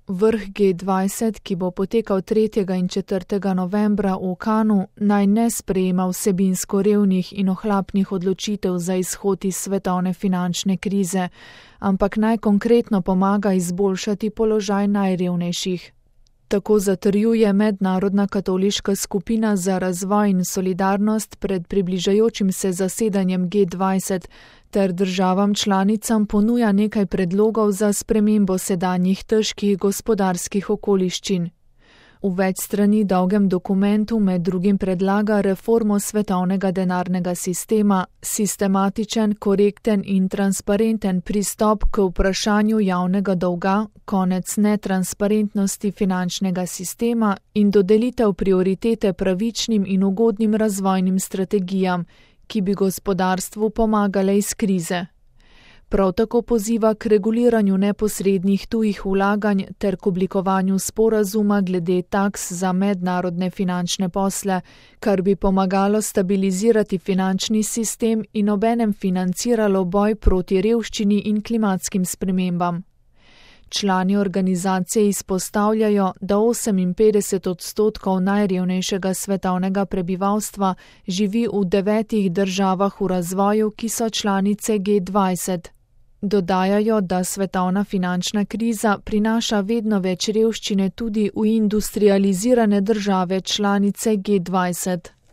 Vrh G20, ki bo potekal 3. in 4. novembra v Cannesu, naj ne sprejema vsebinsko revnih in ohlapnih odločitev za izhod iz svetovne finančne krize, ampak naj konkretno pomaga izboljšati položaj najrevnejših. Tako zatrjuje Mednarodna katoliška skupina za razvoj in solidarnost pred približajočim se zasedanjem G20 ter državam članicam ponuja nekaj predlogov za spremembo sedanjih težkih gospodarskih okoliščin. V več strani dolgem dokumentu med drugim predlaga reformo svetovnega denarnega sistema, sistematičen, korekten in transparenten pristop k vprašanju javnega dolga, konec netransparentnosti finančnega sistema in dodelitev prioritete pravičnim in ugodnim razvojnim strategijam, ki bi gospodarstvu pomagale iz krize. Prav tako poziva k reguliranju neposrednih tujih vlaganj ter k oblikovanju sporazuma glede taks za mednarodne finančne posle, kar bi pomagalo stabilizirati finančni sistem in obenem financiralo boj proti revščini in klimatskim spremembam. Člani organizacije izpostavljajo, da 58% najrevnejšega svetovnega prebivalstva živi v 9 državah v razvoju, ki so članice G20. Dodajajo, da svetovna finančna kriza prinaša vedno več revščine tudi v industrializirane države članice G20.